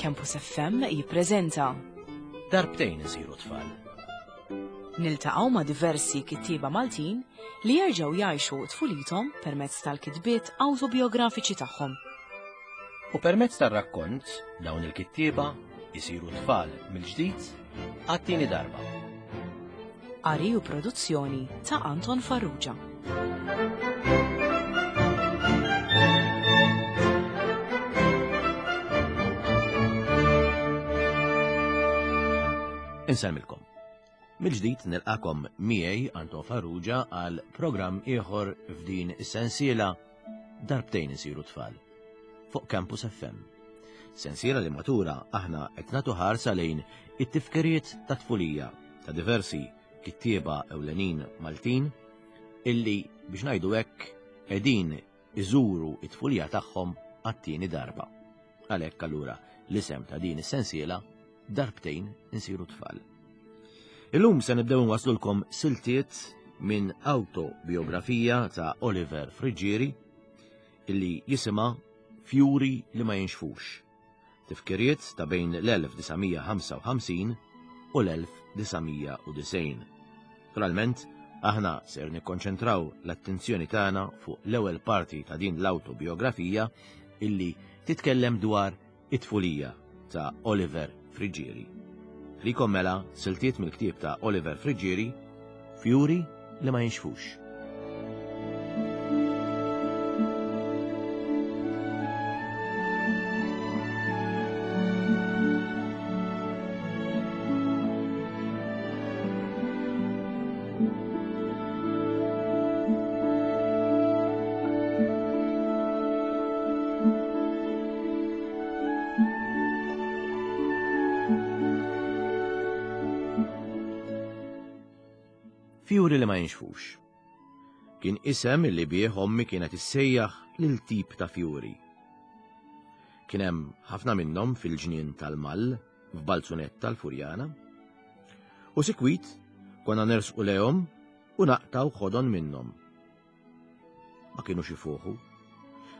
Campus FM jippreżenta Darbtejn isiru tfal. Niltaqgħu ma' diversi kittieba Maltin li jerġgħu jgħixu tfulithom permezz tal-kitbiet awtobiografiċi tagħhom. U permezz tar-rakkont dawn il-kittieba jisiru tfal mill-ġdid għat-tieni darba. Qari u produzzjoni ta' Anton Farrugia. Insellmilkom. Mill-ġdid nilqakom miegħi Anton Farrugia għal programm ieħor f'din is-sensiela Darbtejn isiru tfal fuq Campus FM. Sensiela li matura aħna qed nagħtu ħarsa lejn it-tifkiriet ta' tfulija ta' diversi kittieba ewlenin Maltin illi biex ngħidu hekk qegħdin iżuru it-tfulija tagħhom għat-tieni darba. Għalhekk allura l-isem ta' din is-sensiela darbtejn insiru tfal. Illum se nibdew nwaslulkom siltiet minn autobiografija ta' Oliver Friggieri illi jisimha Fjuri li ma jinxfux. Tifkiriet ta' bejn l-1955 u l-1990. Naturalment, aħna ser nikkonċentraw l-attenzjoni tagħna fuq l-ewwel parti ta' din l-autobiografija illi titkellem dwar It-tfulija ta' Oliver Friggieri. Ħlikom mela siltiet mill-ktieb ta' Oliver Friggieri, Fjuri li ma jinxfux. Fjuri li ma jinxfux. Kien isem li bih ommi kienet issejjaħ lil tip ta' fjuri. Kien hemm ħafna minnhom fil-ġnien tal-Mall f'Balzunetta tal-Furjana. U sikwit konna nersqu lehom u naqtgħu ħodon minnhom. Ma kinux ifuħu,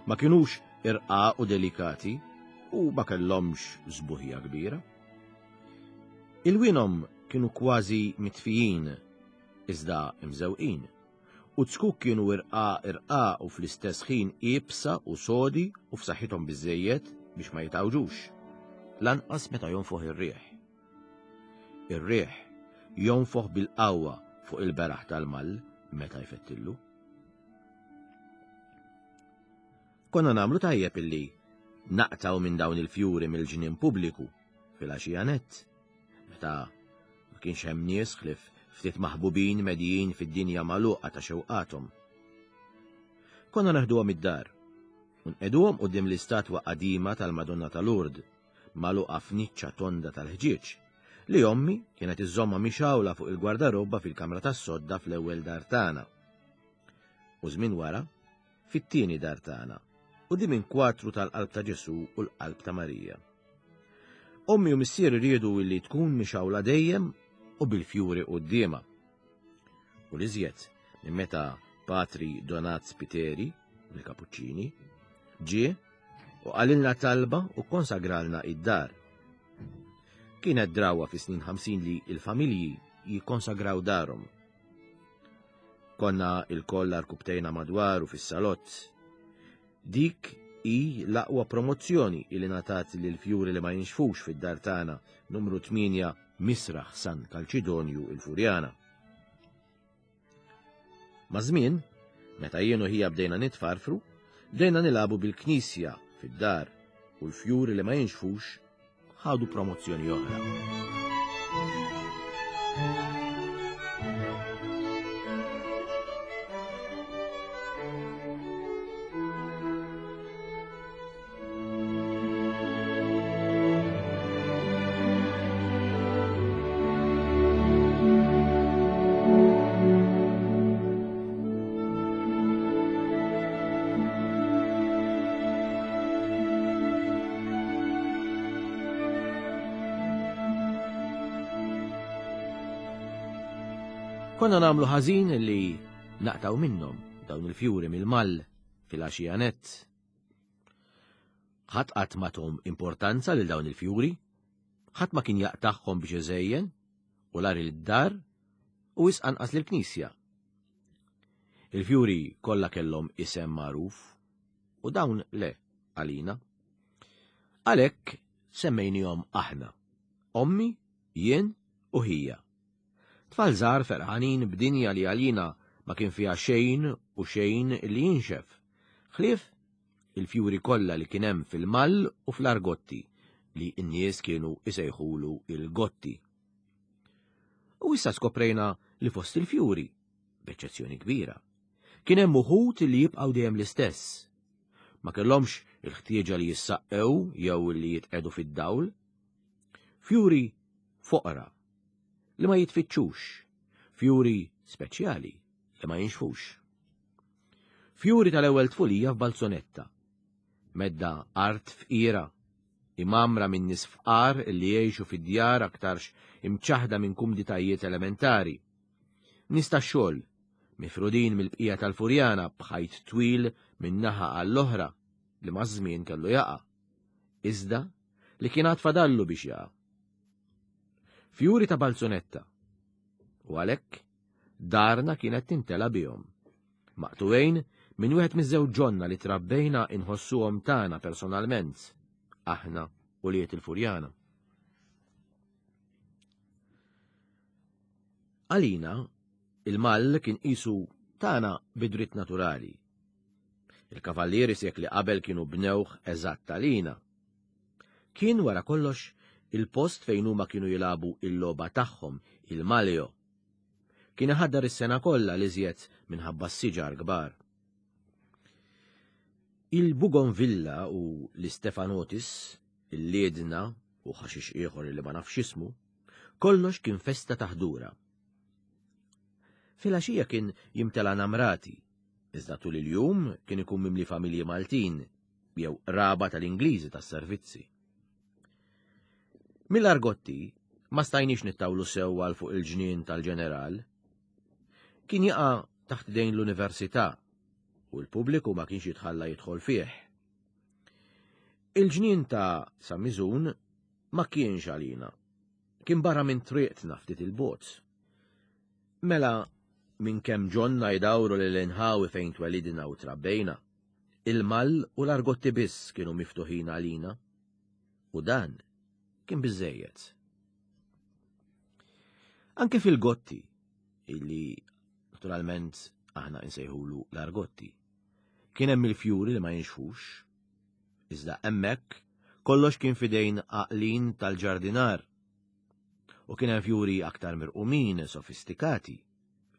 ma kinux irqaq u delikati u ma kellhomx żbuħija kbira. Ilwienhom kienu kważi mitfijin iżda imżewqin u z-zkuk kienu irqaq irqaq u fl-istess ħin iebsa u sodi u f'saħħithom biżżejjed biex ma jitgħawġux, lanqas meta jonfoħ ir-riħ. Ir-riħ jonfoħ bil-qawwa fuq il-beraħ tal-mall meta jfettillu. Konna nagħmlu tajjeb illi naqtaw minn dawn il-fjuri mill-ġnien pubbliku fil-għaxija nett, meta ma kienx hemm nies ħlief ftit maħbubin medijin fid-dinja magħluqa ta' xewqathom. Konna naħduhom id-dar u nqegħduhom quddiem l-istatwa qadima tal-Madonna ta' Lourdes magħluqa f'niċċa tonda tal-ħġieġ, li ommi kienet iżżommha mixgħula fuq il-gwardarobba fil-kamra tas-sodda fl-ewwel dar tagħna. U żmien wara, fit-tieni dar tagħna, quddiem inkwatru tal-Qalb ta' Ġesù u l-Qalb ta' Marija. Ommi u missieri riedu illi tkun mixgħula dejjem u bil-fjuri quddiemha. U l-iżjed minn meta Patri Donat Spiteri, mill-Kapuċċini, ġie u qalilna talba u kkonsagralna id-dar. Kienet drawa fi snin 50 li il-familji jikkonsagraw darhom. Konna il-koll arkubtejna madwar u fis-salott. Dik hi l-aqwa promozzjoni li ngħatat lil fjuri li ma jinxfux fid-dar tagħna numru 8 Misraħ San Kalċidonju il-Furjana. Maż-żmien, meta jien u ħija bdejna nitfarfru, bdejna nilagħbu bil-knisja fid-dar u l-fjuri li ma jinxfux ħadu promozzjoni oħra. Konna nagħmlu ħażin li naqtaw minnhom dawn il-fjuri mill-mall fil-għaxija nett. Ħadd qatt ma thom importanza lil dawn il-fjuri, ħadd ma kien jaqtagħhom biex iżejjen u la lid-dar u wisq anqas lill-knisja. Il-fjuri kollha kellhom isem magħruf u dawn le għalina. Għalhekk semmejnihom aħna, ommi, jien u ħija. Tfal żgħar ferħanin b'dinja li għalina ma kien fiha xejn u xejn li jinxef, ħlief il-fjuri kollha li kien hemm fil-mall u fl-argotti li n-nies kienu isejħulu il-gotti. U issa skoprejna li fost il-fjuri, b'eċċezzjoni kbira, kien hemm uħud li jibqgħu dejjem l-istess. Ma kellhomx il-ħtieġa li jissaqqew jew li jitqegħdu fid-dawl. Fjuri foqra li ma jitfittxux, fjuri speċjali li ma jinxfux. Fjuri tal-ewwel tfulija f'Balzonetta. Medda art fqira, imgħammra minn nies fqar li jgħixu fi djar aktarx imċaħħda minn kumditajiet elementari. Nies tax-xogħol, mifrudin mill-bqija tal-Furjana b'ħajt twil minn naħa għall-oħra li maż-żmien kellu jaqa'. Iżda li kien għad fadallu biex jaqa'. Fjuri ta' Balzonetta. U għalhekk Darna kienet timtela bihom. Maqtugħin minn wieħed miż-żewġ ġonna li trabbejna inħossuhom tagħna personalment, aħna ulied il-Furjana. Għalina, il-mall kien qisu tagħna bidritt naturali. Il-kavallieri sekli qabel kienu bnewh eżatt għalina. Kien wara kollox il-post fejn huma kienu jilagħbu il-logħba tagħhom, il-maleo. Kien iħaddar is-sena kollha l-iżjed minħabba s-siġar kbar. Il-Bugonvilla u l-Istefanotis, il-liedna u ħaxix ieħor li ma nafx ismu, kollox kien festa ta' ħdura. Filgħaxija kien jimtela namrati, iżda tul il-jum kien ikun mimli familji Maltin jew qraba tal-Ingliżi tas-servizzi. Mill-Argotti ma stajniex nittawlu sew għal fuq il-ġnien tal-ġeneral. Kien jaqa' taħt idejn l-università u l-pubbliku ma kienx jitħalla jidħol fih. Il-ġnien ta' San Miżun ma kienx għalina. Kien barra minn triqtna ftit il-bogħod. Mela minn kemm ġonna jdawru lil inħawi fejn twelidna u trabbejna. Il-mall u l-argotti biss kienu miftuħin għalina. U dan kien biżejjed. Anke fil-gotti, illi naturalment aħna insejħulu l-argotti, kien hemm il-fjuri li ma jinxfux, iżda hemmhekk kollox kien fidejn għaqlin tal-ġardinar. U kien hemm fjuri aktar mirqumin, sofistikati,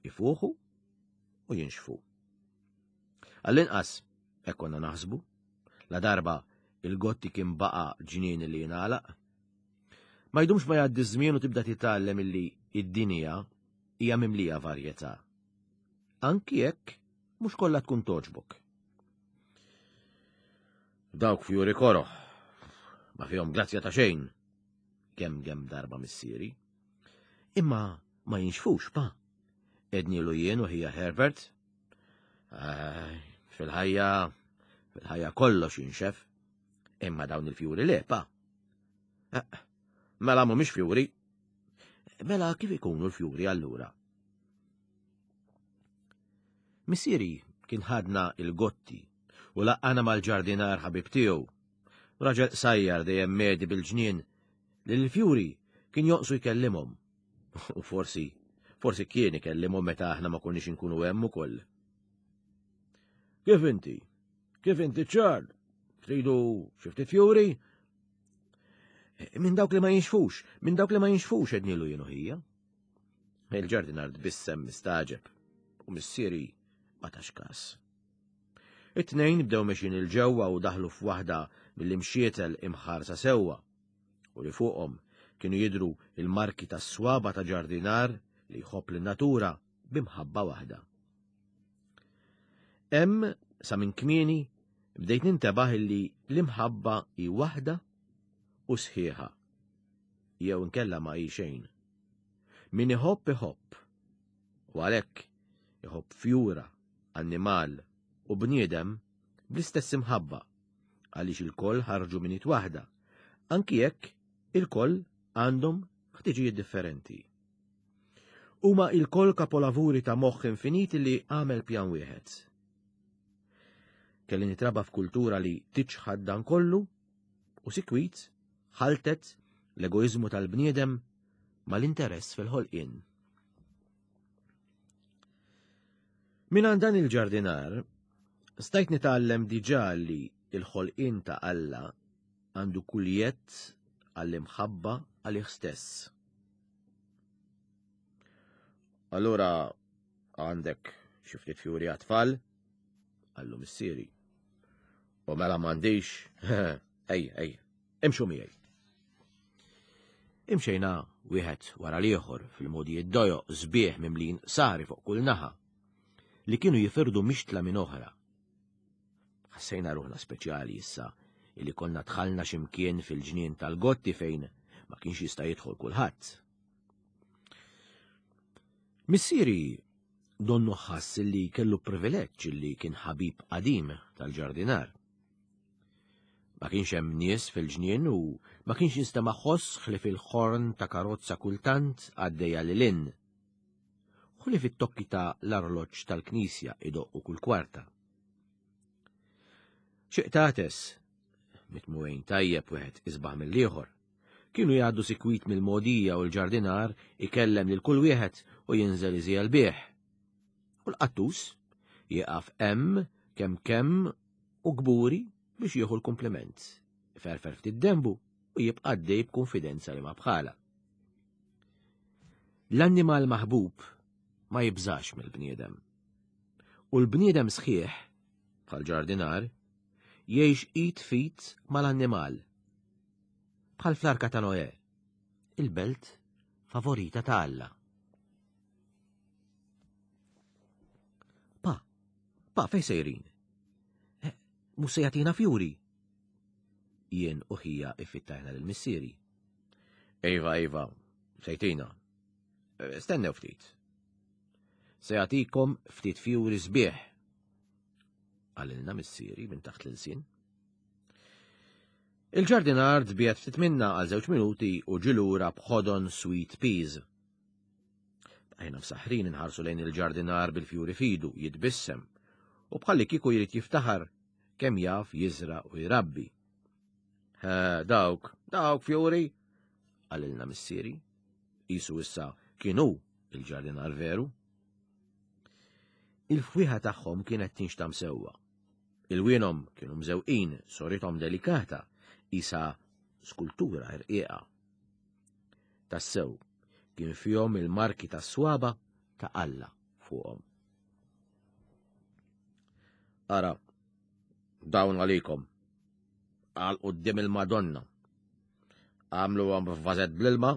ifuħu u jinxfu. Għall-inqas, hekk konna naħsbu, la darba il-gotti kien baqa' ġnien li jingħalaq. Ma jdumx ma jgħaddi żmien u tibda titgħallem illi id-dinja hija mimlija varjetà. Anki jekk mhux kollha tkun toġbok. Dawk fjuri koroh, ma fihom grazzja ta' xejn, kemm kemm darba missieri. Imma ma jinxfux pa. Ednilu jien u ħija Herbert Fil-ħajja, fil-ħajja kollox jinxef. Imma dawn il-fjuri le, pa. Eh, mela mhumiex fjuri. Mela kif ikunu l-fjuri allura? Missieri kien ħadna il-gotti u laqqana mal-ġardinar ħabib tiegħu. Raġel qsajjar dejjem medi bil-ġnien li l-fjuri kien jonqsu jkellimhom. U forsi, forsi kien ikellimhom meta aħna ma konniex inkunu hemm ukoll. Kif inti? Kif inti ċar? Tridu xi ftit fjuri? Minn dawk li ma jinxfux, minn dawk li ma jinxfux ednilu jienu ħija. Il-ġardinar tbissem mistaġeb u missieri ma tax kas. It-tnejn bdew mexin il-ġewwa u daħlu f'waħda mill-imxietel imħarsa sewwa. u li fuqhom kienu jidhru l-marki tas-swaba' ta' ġardinar li jħobb lin-natura bi mħabba waħda. Hemm sa minn kmieni bdejt nintebaħ illi l-imħabba hi waħda u sħiħa jew inkella ma hi xejn. Min iħobb iħobb u għalhekk iħobb fjura, annimal u bniedem bl-istess imħabba. Għaliex ilkoll ħarġu minn id waħda, anki jekk ilkoll għandhom ħtiġijiet differenti. Huma ilkoll kapolavuri ta' moħħ infinit li għamel pjan wieħed. Kelli nitraba f'kultura li tiċħad dan kollu u sikwit ħaltet l-egoiżmu tal-bniedem mal-interess fil-ħolqien. Minn dan il-ġardinar, stajt nitgħallem diġà li il-ħolqien ta' Alla għandu kull jedd għall-imħabba għalih stess. Allura għandek xi ftit fjuri għat-tfal? Qallu missieri. U mela m'għandix, ej, ej, imxu miegħi. Imxejna wieħed wara l-ieħor fil-modijiet dojoq sbieħ mimlin sari fuq kull naħa li kienu jifirdu mixtla minn oħra. Ħassejna ruħna speċjali issa illi konna dħalna x'imkien fil-ġnien tal-Gotti fejn ma kienx jista' jidħol kulħadd. Missieri donnu ħass li kellu privileġġ li kien ħabib qadim tal-ġardinar. Ma kienx hemm nies fil-ġnien u ma kienx jinstema' ħoss ħlief il-ħorn ta' karozza kultant għaddejja lil hinn. Ħlief it-tokki ta' l-arloġġ tal-knisja idoqqu kull kwarta. Xi qtates, mitmugħin tajjeb wieħed isbaħ mill-ieħor, kienu jgħaddu sikwit mill-mogħdija u l-ġardinar ikellem lil kull wieħed u jinżel iżiegħel bih. U l-qattus jieqaf hemm kemm kemm u kburi biex jieħu l-kumpliment, iferfer ftit denbu u jibqa' għaddej b'kunfidenza li ma bħala. L-annimal maħbub ma jibżax mill-bniedem. U l-bniedem sħiħ, bħal ġardinar, jgħix id f'id mal-annimal. Bħal fl-Arka ta' Noè, il-belt favorita ta' Alla. Pa, pa, fej sejrin? Eh, mhux se jagħtina fjuri. Jien u ħija iffittajna lil missieri. Iva, iva, sejtina. Eh, stennew ftit. Se jagħtikom ftit fjuri sbieħ. Qalilna missieri minn taħt l-ilsien. Il-ġardinar tbiegħed ftit minna għal żewġ minuti u ġilura b'ħodon sweet peas. Bqajna msaħħrin inħarsu lejn il-ġardinar bil-fjuri fidu, jitbissem, u bħalli kieku jrid jiftaħar kemm jaf jiżra' u jrabbi. Dawk, dawk fjuri, qalilna missieri. Isu issa kien hu il-ġardinar veru. Il-fwieħa tagħhom kienet tinxtam sewwa. Ilwienhom kienu mżewqin, sorithom delikata, isa skultura irqiqa. Tassew, kien fihom il-marki tas-swaba ta' Alla fuqhom. Ara, dawn għalikom, għal quddiem il-Madonna. Għamluhom f'vażett bl-ilma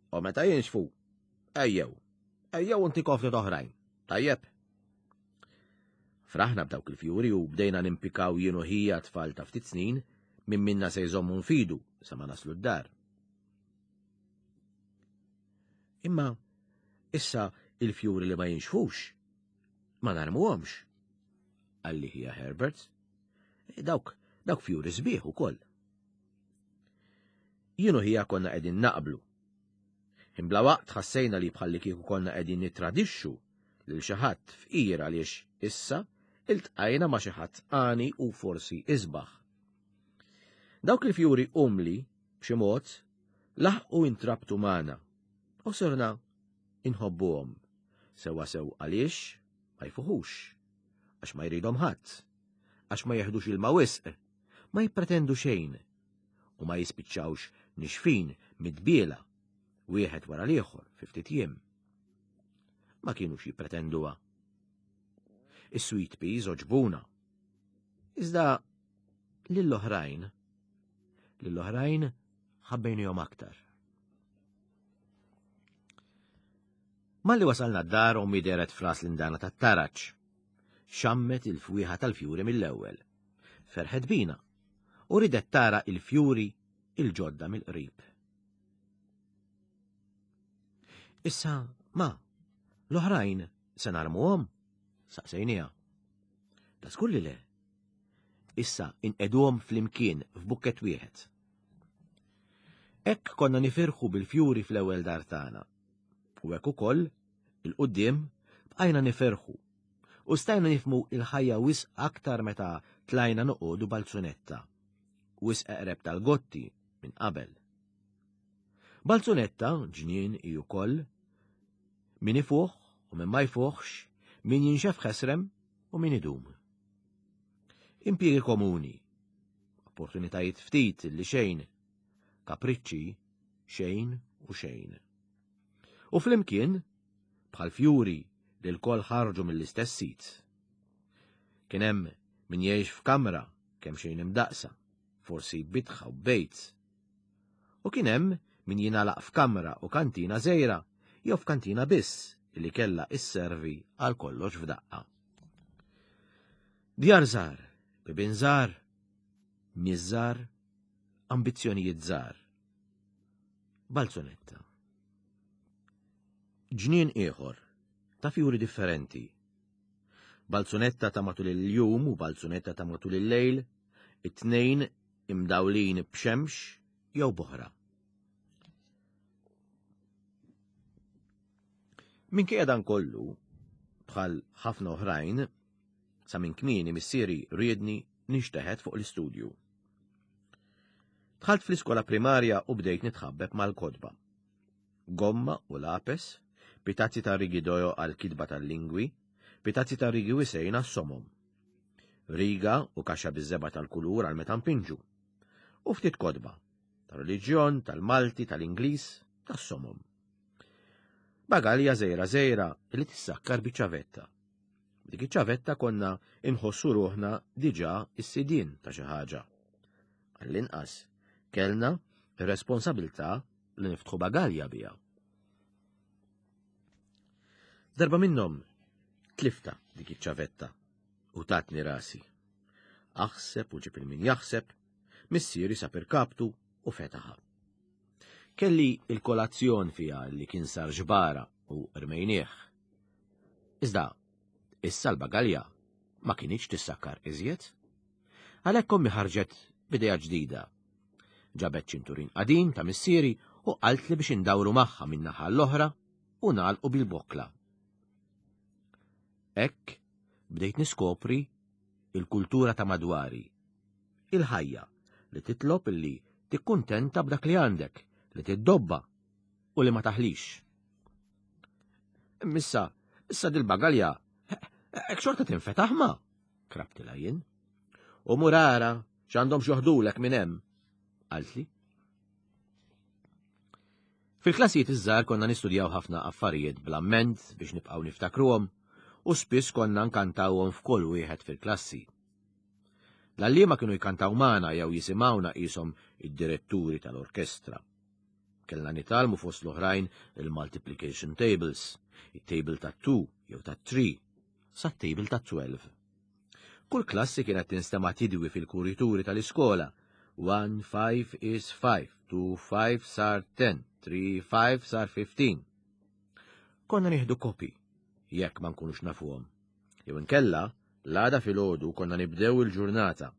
u meta jinxfu, ejjew, ejjew intikom ftit oħrajn. Tajjeb. Fraħna b'dawk il-fjuri u bdejna nimpikaw jien u ħija tfal ta' ftit snin minn minna se jżommu nfidu sa ma naslu d-dar. Imma issa il-fjuri li ma jinxfux ma narmuhomx. Qalli ħija Herbert. E, dawk, dawk fjuri sbieħ ukoll. Jien u ħija konna qegħdin naqblu. Imbla waqt ħassejna li bħalli kieku konna qegħdin nitradixxu lil xi ħadd fqir għaliex issa iltqajna ma' xi ħadd għani u forsi isbaħ. Dawk il-fjuri umli, b'xi mod, laħqu intrabtu magħna u sirna inħobbuhom sewwasew għaliex ma jfuħux, għax ma jridhom ħadd, għax ma jeħdux ilma wisq, ma jippretendu xejn u ma jispiċċawx nixfin mid-dbiela wieħed wara l-ieħor fi ftit jiem. Ma kienux jippretenduha. Is-sweet peas oġbuna. Iżda lill-oħrajn, lill-oħrajn ħabbejnihom aktar. Malli wasalna d-dar ommi deret fras l-indana tat-taraġ. Xammet il-fwieħa tal-fjuri mill-ewwel. Ferħet bina u ridet tara il-fjuri il-ġodda mill-qrib. Issa, ma, l-oħrajn se narmuhom? Saqsejniha. Ta' skulli le. Issa inqegħduhom flimkien f'bukkett wieħed. Hekk konna nifirħu bil-fjuri fl-ewwel dar tagħna. U hekk ukoll, il-quddiem, bqajna nifirħu. U stajna nifhmu il-ħajja wisq aktar meta tlajna noqogħdu Balzunetta. Wisq eqreb tal-Gotti minn qabel. Balzunetta ġnien hi wkoll min ifuħ u min ma jfuħx, min jinxef ħesrem u min idum. Impjiegi komuni, opportunitajiet ftit li xejn, kapriċċi xejn u xejn. U flimkien, bħal fjuri li lkoll ħarġu mill-istess sit. Kien hemm min jgħix f'kamra kemm xejn imdaqsa, forsi bitħa u bejt. U kien hemm min jingħalaq f'kamra u kantina żgħira jew f'kantina biss li kellha isservi għal kollox f'daqqa. Djar żgħar, bibien żgħar, nies żgħar, ambizzjonijiet żgħar. Balzunetta. Ġnien ieħor, ta' fjuri differenti. Balzunetta ta' matul il-jum u balzunetta ta' matul il-lejl, it-tnejn imdawlin b'xemx jew b'oħra. Minkejja dan kollu, bħal ħafna oħrajn, sa minn kmieni missieri riedni nixteħet fuq l-istudju. Dħalt fl-iskola primarja u bdejt nitħabbeb mal-kotba. Gomma u lapes, pitazzi ta' rigi dojo għal kitba tal-lingwi, pitazzi ta' rigi wisejn għas-somom. Riga u kaxxa biż-żebgħa tal-kulur għal meta npinġu. U ftit kotba, tal-reliġjon, tal-Malti, tal-Ingliż, tas-somom. Bagalja żgħira żgħira li tissakkar biċ-ċavetta. B'dik iċ-ċavetta konna inħossu ruħna diġà s-sidien ta' xi ħaġa. Għall-inqas, kellna r-responsabilità li niftħu bagalja biha. Darba minnhom tlifta dik iċ-ċavetta u tatni rasi. Aħseb u ġib il-min jaħseb, missieri sab irkabtu u fetaħa. Kelli il-kolazzjon fiha li kien sar ġbara u rmejnieh. Iżda, issa l-bagalja ma kinitx tissakkar iżjed. Għalhekk ommi ħarġet b'idea ġdida. Ġabet ċinturin qadim ta' missieri u qaltli biex indawru magħha minn naħa l-oħra u nagħlqu bil-bokkla. Hekk bdejt niskopri il-kultura ta' madwari. Il-ħajja li titlob illi tikkuntenta b'dak li għandek, li tiddobba u li ma taħlix. Missa, issa dil-bagalja, hekk xorta tinfetaħ ma, krabtilha jien. U murara, x'għandhom xoħdulek minn hemm, qaltli. Fil-klassijiet iż-żgħar konna nistudjaw ħafna affarijiet bl-amment biex nibqgħu niftakruhom u spiss konna nkantawhom f'kull wieħed fil-klassi. L-għalliema kienu jkantaw magħna jew jisimgħuna qishom id-diretturi tal-orkestra. Kellna nitgħallmu fost l-oħrajn il-multiplication tables, it-table ta' 2 jew ta' 3, sa table ta' 12. Kull klassi kienet tinstema' tidwi fil-kurituri tal-iskola. 1 5 is 5, 2 5 sar 10, 3 5 sar 15. Konna nieħdu kopi, jekk ma nkunux nafuhom. Jew inkella, l-għada filgħodu konna nibdew il-ġurnata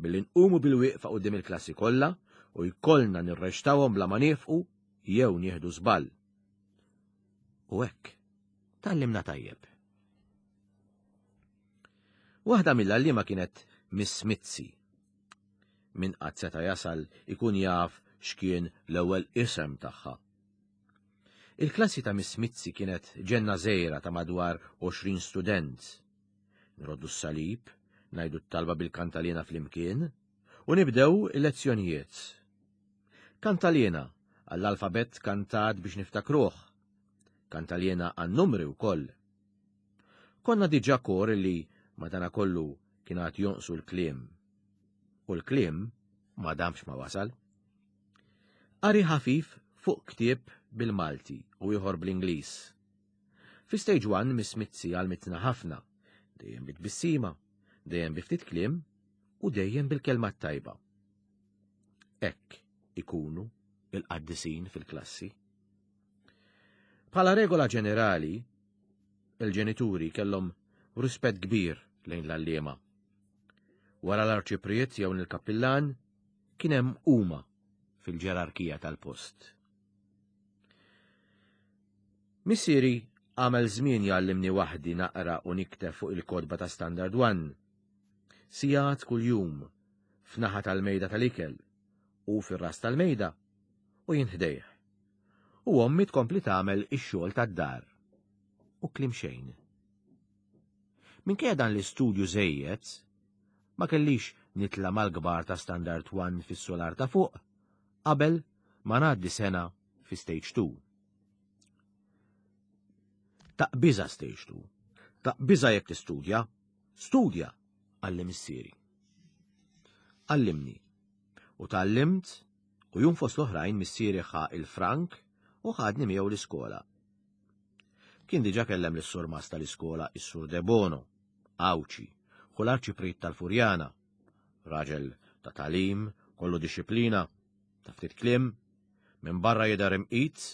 billi nqumu bil-wieqfa quddiem il-klassi kollha u jkollna nirreċtawhom bla ma niefqu jew nieħdu żball. U hekk, tgħallimna tajjeb. Waħda mill-għalliema kienet Miss Mizzi. Min qatt seta' jasal ikun jaf x'kien l-ewwel isem tagħha. Il-klassi ta' Miss Mizzi kienet ġenna żgħira ta' madwar 20 student. Nroddu s-salib, ngħidu t-talba bil-kantaliena flimkien, u nibdew il-lezzjonijiet. Kantaliena għall-alfabett kantat biex niftakruh. Kantaliena għan-numri wkoll. Konna diġà kor li madanakollu kien għad jonqsu l-kliem. U l-kliem ma damx ma wasal. Qari ħafif fuq ktieb bil-Malti u ieħor bl-Ingliż. Fi stage 1 Miss Mizzi għalmitna ħafna, dejjem bi tbissima, dejjem bi ftit kliem u dejjem bil-kelma t-tajba. Hekk ikunu il-qaddisin fil-klassi. Bħala regola ġenerali, il-ġenituri kellhom rispett kbir lejn l-għalliema. Wara l-arċipriet jew l-kappillan kien hemm huma fil-ġerarkija tal-post. Missieri għamel żmien jgħallimni waħdi naqra u nikteb fuq il-kotba ta' Standard One. Sigħat kuljum f'naħa tal-mejda tal-ikel u fir-ras tal-mejda u jien ħdejh. U ommi tkompli tagħmel ix-xogħol tad-dar. U kliem xejn. Minkejja dan l-istudju żejjed, ma kellix nitla' mal-kbar ta' Standard One fis-solar ta' fuq qabel ma ngħaddi sena fi Stage 2. Taqbiża Stage 2. Taqbiża jekk tistudja. Studja, qalli missieri. Għallimni. U tgħallimt u jum fost l-oħrajn missieri ħa il-frank u ħadni miegħu l-iskola. Kien diġa kellem lis-surmast tal-iskola is-Sur Debono, Għawdxi, hu l-arċipriet tal-Furjana. Raġel ta' tagħlim, kollu dixxiplina, ta' ftit kliem, minn barra jidher imqit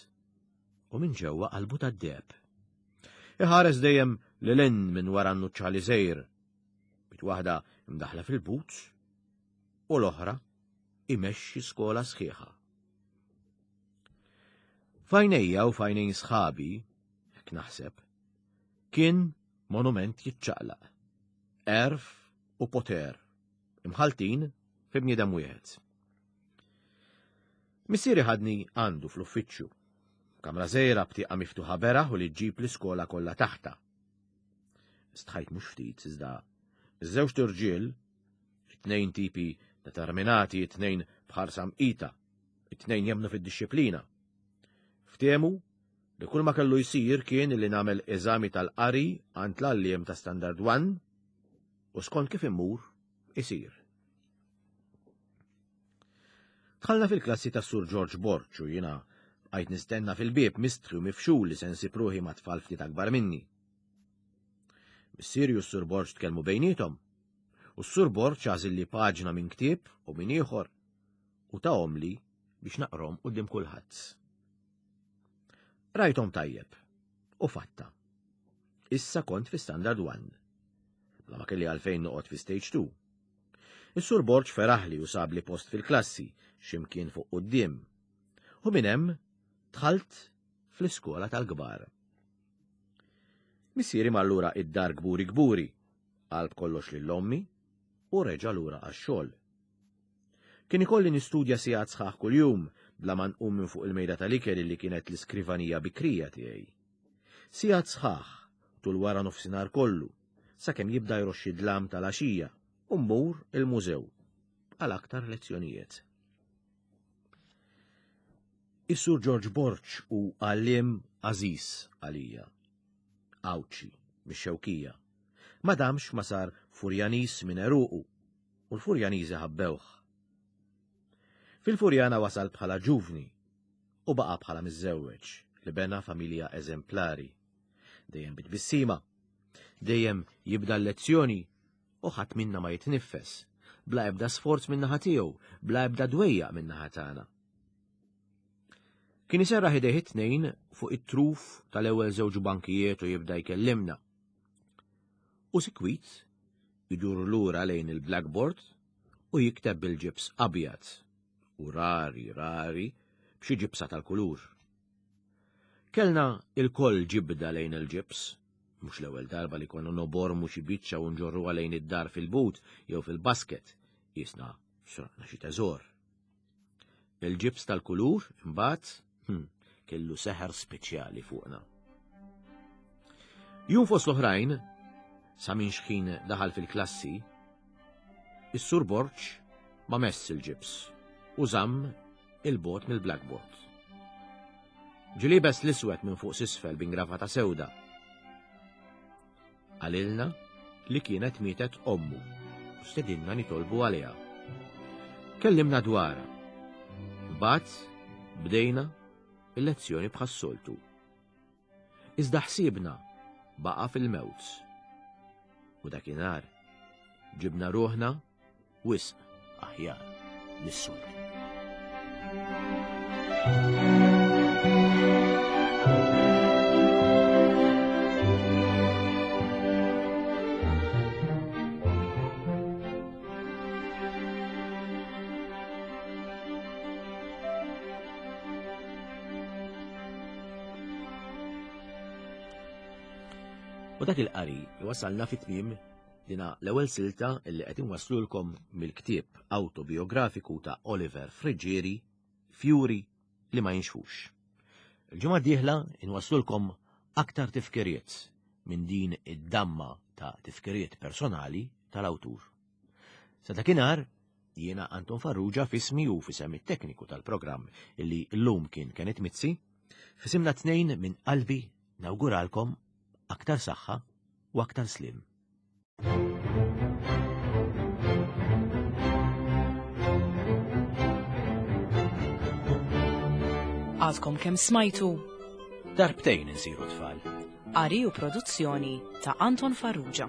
u minn ġewwa qalbu tad-deheb. Iħares dejjem lil hinn minn wara n-nuċċali żgħir. Bit waħda imdaħla fil-boots u l-oħra imexxi skola sħiħa. F'għajnejja u f'għajnejn sħabi, hekk naħseb, kien monument jiċċaqlaq. Għerf u poter, imħaltin fi bniedem wieħed. Missieri ħadni għandu fl-uffiċċju. Kamra żgħira b'tieqa miftuħa beraħ u li ġġib l-iskola kollha taħta. Stħajt mhux ftit iżda iż-żewġt irġiel, it-tnejn tipi determinati, it-tnejn b'ħarsa mqita, It-tnejn jemmnu fid-dixxiplina. Ftehmu li kull ma kellu jsir kien li nagħmel eżami tal-qari għand l-għalliem ta' Standard 1 u skont kif immur isir. Dħalna fil-klassi ta' Sur George Borg u jiena bqajt nistenna fil-bieb mistħi u mifxul li se nsib ruħi ma' tfal ftit akbar minni. Missieri u s-Sur Borg tkellmu bejniethom u s-Sur Borg għażilli paġna minn ktieb u minn ieħor u tahomli biex naqrom quddiem kulħadd. Rajthom tajjeb u fatta. Issa kont fi Standard 1. Bla ma kelli għalfejn noqgħod fi Stage 2. Is-Sur Borg feraħli u sabli post fil-klassi x'imkien fuq quddiem. U minn hemm dħalt fl-iskola tal-kbar. Missieri mar lura id-dar kburi kburi, qalb kollox lil ommi u reġa' lura għax-xogħol. Kien ikolli nistudja sigħat sħaħ kuljum bla ma nqum minn fuq il-mejda tal-ikel li kienet l-iskrivanija bikrija tiegħi. Sigħat sħaħ tul wara nofsinhar kollu, sakemm jibda jroxxi dlam tal-għaxija u mmur il-mużew għal aktar lezzjonijiet. Is-Sur George Borg hu għalliem għażiż għalija. Għawdxi, mix-Xewkija. Ma damx ma sar Furjaniż minn għeruqu u l-Furjaniżi ħabbewh. Fil-Furjana wasal bħala ġuvni u baqa' bħala miżżewweġ li bena familja eżemplari. Dejjem bit-tbissima, dejjem jibda l-lezzjoni u ħadd minna ma jitniffes, bla ebda sforz min-naħa tiegħu, bla ebda dwejjaq min-naħa tagħna. Kien iserraħ idejh it-tnejn fuq it-truf tal-ewwel żewġ bankijiet u jibda jkellimna. U sikwit idur lura lejn il-blackboard u jikteb bil-ġibs abjad u rari rari b'xi ġibsa tal-kulur. Kellna ilkoll ġibda lejn il-ġibs, mhux l-ewwel darba li konna nobormu xi biċċa u nġorruha lejn id-dar fil-but jew fil-basket, qisna sraqna xi teżor. Il-ġibs tal-kulur, imbagħad, hmm, kellu seħer speċjali fuqna. Jum fost l-oħrajn, sa minn xħin daħal fil-klassi, is-sur Borġ ma mess il-ġibs u żamm il-bot mill-blackboard. Ġilibes l-iswed minn fuq sisfel b'ingravata sewda. Qalilna li kienet mietet ommu u stedinna nitolbu għaliha. Kellimna dwarha. Mbagħad bdejna il-lezzjoni bħas-soltu. Iżda ħsiebna baqa' fil-mewt. U dakinhar ġibna ruħna wisq aħjar mis-soltu. U dak il-qari iwasalna fit-tmiem dina l-ewwel silta li qed inwasslulkom mill-ktieb awtobiografiku ta' Oliver Friggieri, Fjuri li ma jinxfux. Il-ġimgħa d-dieħla inwasslulkom aktar tifkiriet minn din id-damma ta' tifkiriet personali tal-awtur. Sa dakinhar, jiena Anton Farrugia fismi u fisem it-tekniku tal-programm illi llum kien Kenneth Mizzi, fisimna tnejn minn qalbi nawguralkom aktar saħħa u aktar slim. Għadkom kemm smajtu Darbtejn insiru tfal. Qari u produzzjoni ta' Anton Farrugia.